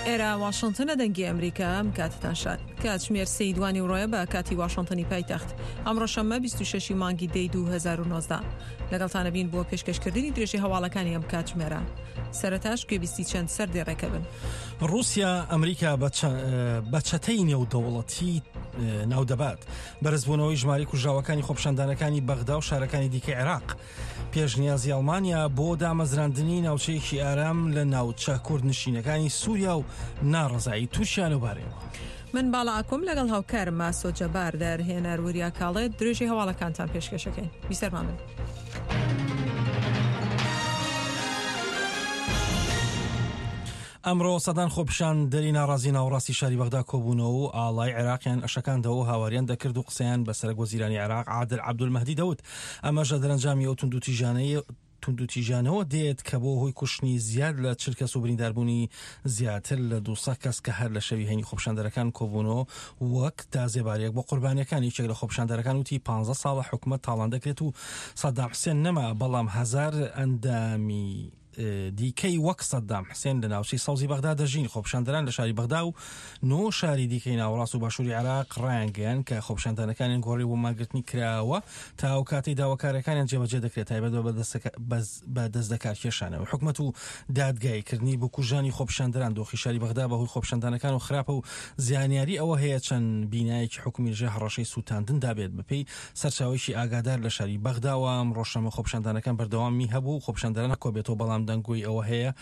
ئێرە واشنتنە دەنگی ئەمریکا ئەم کاتتان شاد کاتژمێر سێی دوانی ڕۆیە بە کاتی واشنتنی پایتەخت ئەمڕۆ شەممە 26 مانگی دەی 2019 لەگەڵتانە بین بۆ پێشکەشکردنی درێژی هەواڵەکانی ئەم کاتژمێرە سەرەتاش گوێبیستی چەند سەردێڕێکە بن. ڕووسیا ئەمریکا بە چەتەی نێودەوڵەتی ناودەبات. بەرزبوونەوەی ژمارەی کوژراوەکانی خۆپیشاندانەکانی بەغدا و شارەکانی دیکەی عێراق. پێشنیازی ئەڵمانیا بۆ دامەزراندنی ناوچەیەکی ئارام لە ناوچە کوردنشینەکانی سووریا و ناڕەزایی تورکیا لەوبارەیەوە. من باڵا ئاکۆم لەگەڵ هاوکارم ماسۆ جەبار دەرهێنەر وریا کاڵێ درێژەی هەواڵەکانتان پێشکەشەکەین. بیسەرمان بن. ئەمڕۆ سەدان خۆپیشاندەری ناڕازی ناوەڕاستی شاری بەغدا کۆبوونەوە و ئاڵای عێراقیان ئەشەکاندەوە و هاواریان دەکرد و قسەیان بە سەرەک وەزیرانی عێراق عادل عەبدولمەهدی دەوت، ئەمەش لە دەرەنجامی ئەو توندوتیژانەی توندوتیژانەوە دێت کە بۆ هۆی کوشتنی زیاد لە 40 کەس و برینداربوونی زیاتر لە 200 کەس کە هەر لە شەوی هەینی خۆپیشاندەرەکان کۆبوونەوە وەک تازێباریەک بۆ قوربانیەکان یەکێک لە خۆپیشاندەرەکان وتی 15 ساڵە حکومەت تاڵان دەکرێت و سەدام حسێن نەما بەڵام هەزار ئەندامی دیکەی وەک سەدام حسێن لە ناوچەی سەوزی بەغدا دەژین. خۆپیشاندەران لە شاری بەغدا و نۆ شاری دیکەی ناوەڕاست و باشووری عێراق ڕایانگەیاند کە خۆپیشاندانەکانیان گۆڕی بۆ مانگرتنی کراوە تا ئەو کاتەی داواکارییەکانیان جێبەجێ دەکرێت تایبەت بە دەستلەکارکێشانەوەی حکومەت و دادگاییکردنی بکوژانی خۆپیشاندەران. دۆخی شاری بەغدا بەهۆی خۆپیشاندانەکانەوە خراپە و زانیاری ئەوە هەیە چەند بینایەکی حکومی لەژێر هەڕەشەی سووتاندندا بێت بەپێی سەرچاوەیەکی ئاگادار لە شاری بەغداوە، ئەمڕۆ شەممە خۆپیشاندانەکان بەردەوامی هەبوو، خۆپیشاندەران کۆبێتەوە، بەڵام دەنگۆی ئەوە هەیە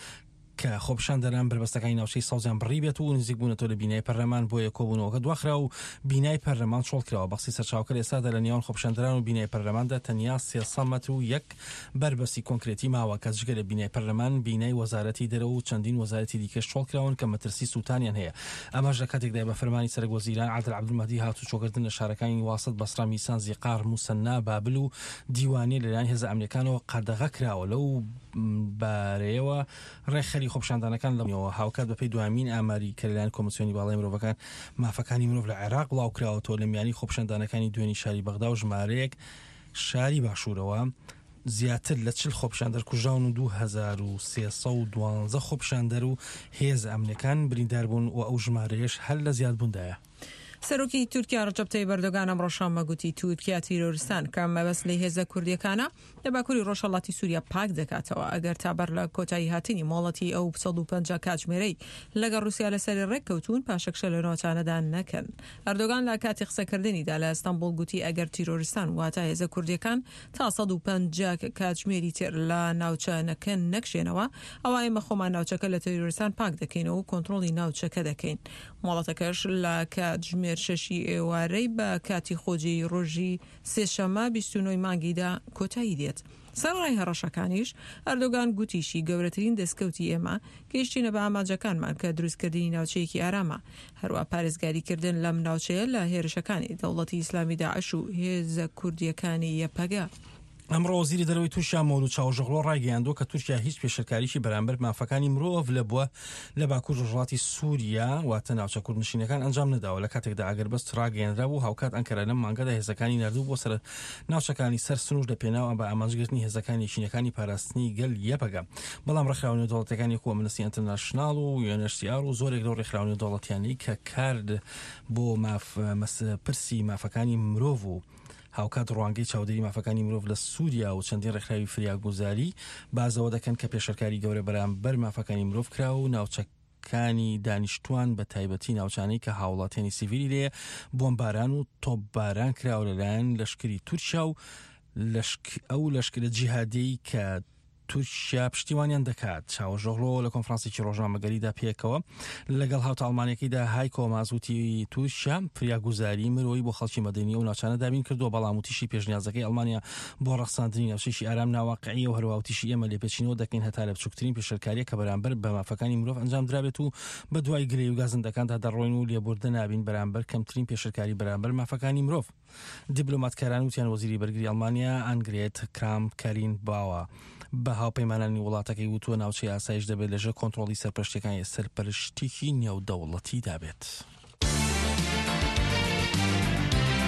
کە خۆپیشاندەران بەربەستەکانی ناوچەی سەوزیان بڕیبێت و نزیک بوونەتەوە لە بینای پەرلەمان، بۆیە کۆبوونەوەکە دواخرا و بینای پەرلەمان چۆڵکراوە. بەقسەی سەرچاوەکە لە ئێستادا لە نێوان خۆپیشاندەران و بینای پەرلەماندا تەنیا 300 مەتر و یەک بەربەستی کۆنکرێتی ماوە کە جگە لە بینای پەرلەمان، بینای وەزارەتی دەرەوە و چەندین وەزارەتی دیکەش چۆڵکراون کە مەترسی سووتانیان هەیە. ئەمەش لە کاتێکدایە بە فەرمانی سەرەک وەزیران عادل عەبدولمەهدی هاتوچۆکردن لە شارەکانی واسط، بەسرە، میسان، زیقار، موسەننا، بابل و دیوانیە لەلایەن هێزە ئەمنیەکانەوە قەدەغە کراوە. لەو بارەیەوە ڕێکخەری خۆپیشاندانەکان لە هاوکات بەپێی دوامین ئاماری کە لەلایەن کۆمیسیۆنی باڵای مرۆڤەکان مافەکانی مرۆڤ لە عێراق بڵاوکراوەتەوە لە میانی خۆپیشاندانەکانی دوێنی شاری بەغدا و ژمارەیەک شاری باشوورەوە زیاتر لە 40 خۆپیشاندەر کوژراون و 2312 خۆپیشاندەر و هێزە ئەمنیەکان بریندار بوون و ئەو ژمارەیەش هەر لە زیادبووندایە. سەرۆکی تورکیا ڕەجەب تەیب ئەردۆگان ئەمڕۆ شەممە گوتی تورکیا تیرۆرستان کە مەبەست لێی هێزە کوردییەکانە لە باکووری ڕۆژهەڵاتی سووریا پاک دەکاتەوە ئەگەر تا بەر لە کۆتایی هاتنی مۆڵەتی ئەو 150 کاتژمێرەی لەگەڵ ڕووسیا لەسەری ڕێککەوتوون پاشەکشە لە ناوچانەدا نەکەن. ئەردۆگان لە کاتی قسەکردنیدا لە ئەستەنبوڵ گوتی ئەگەر تیرۆریستان واتە هێزە کوردییەکان تا 150 کاتژمێری تر لە ناوچەنەکە نەکشێنەوە ئەوا ئێمە خۆمان ناوچەکە لە تیرۆریستان پاک دەکەینەوە و کۆنترۆڵی ناوچەکە دەکەین. مۆڵەتەکەش لە کاتژمێر شەشی ئێوارەی بە کاتی خۆجێی ڕۆژی سێشەممە 29 ی مانگی دە کۆتایی دێت. سەرەڕای هەڕەشەکانیش، ئەردۆگان گوتیشی، گەورەترین دەستکەوتی ئێمە، گەیشتینە بە ئامانجەکانمان کە دروستکردنی ناوچەیەکی ئارامە، هەروا پارێزگاریکردن لەم ناوچەیە لە هێرشەکانی دەوڵەتی ئیسلامی داعش و هێزە کوردییەکانی یەپەگە. ئەمڕۆ وەزیری دەرەوەی تورکیا مەولود چاوشئۆغلۆ ڕایگەیاندووە کە تورکیا هیچ پێشێلکاریی بەرامبەر مافەکانی مرۆڤ لە بووە لە باکوور ڕۆژهەڵاتی سووریا واتە ناوچە کوردنشینەکان ئەنجام نەداوە لە کاتێکدا ئاگربەست ڕاگەیەنرابوو هاوکات ئەنکەرە لەم مانگەدا هێزەکانی ناردوو بۆ سەر ناوچەکانی سەر سنوور لە پێناو بە ئامانجگرتنی هێزەکانی یەکینەکانی پاراستنی گەل یەپەگە بەڵام ڕێکخراوە نێودەوڵەتیەکانی وەکو ئەمنستی ئینتەرناشناڵ و UNHCR و زۆرێک لەو ڕێکخراوە نێودەوڵەتیانەی کە کار بۆ ماف پرسی مافەکانی مرۆڤ و هاوکات ڕوانگەی چاودێری مافەکانی مرۆڤ لە سووریا و چەندین ڕێکخراوی فریاگوزاری باس لەوە دەکەن کە پێشێلکاری گەورە بەرامبەر مافەکانی مرۆڤ کراوە و ناوچەکانی دانیشتوان بە تایبەتی ناوچانەی کە هاوڵاتیانی سیڤیلی لێیە بۆمباران و تۆپباران کراوە لەلایەن لەشکری تورکیا و ئەو لەشکرە جیهادیەی کە تورکیا پشتیوانیان دەکات. چاوەشئۆغلۆ لە کۆنفرانسێکی ڕۆژنامەگەریدا پێکەوە لەگەڵ هاوتا ئەڵمانیەکەیدا هایکۆ ماس وتی تورکیا فریاگوزاری مرۆیی بۆ خەڵکی مەدەنی ئەو ناوچانە دابین کردووە، بەڵام وتیشی پێشنیازەکەی ئەڵمانیا بۆ ڕەخساندنی ناوچەیەکی ئارام ناواقعیە و هەروەها وتیشی ئێمە لێپێچینەوە دەکەین هەتا لە بچووکترین پێشێلکارییەک کە بەرامبەر بە مافەکانی مرۆڤ ئەنجام درابێت و بەدوای گلەیی و گازندەکاندا دەڕۆین و لێبوردە نابین بەرامبەر کەمترین پێشێلکاری بەرامبەر مافەکانی مرۆڤ. دیبلۆماتکاران وتیان وەزیری بەرگری ئەڵمانیا ئانگرێت کرامپ کارین باوە بە هاوپەیمانانی وڵاتەکەی وتووە ناوچەی ئاسایش دەبێت لەژێر کۆنترۆڵی سەرپەرشتیەکانی سەرپەرشتیی نێودەوڵەتیدا بێت.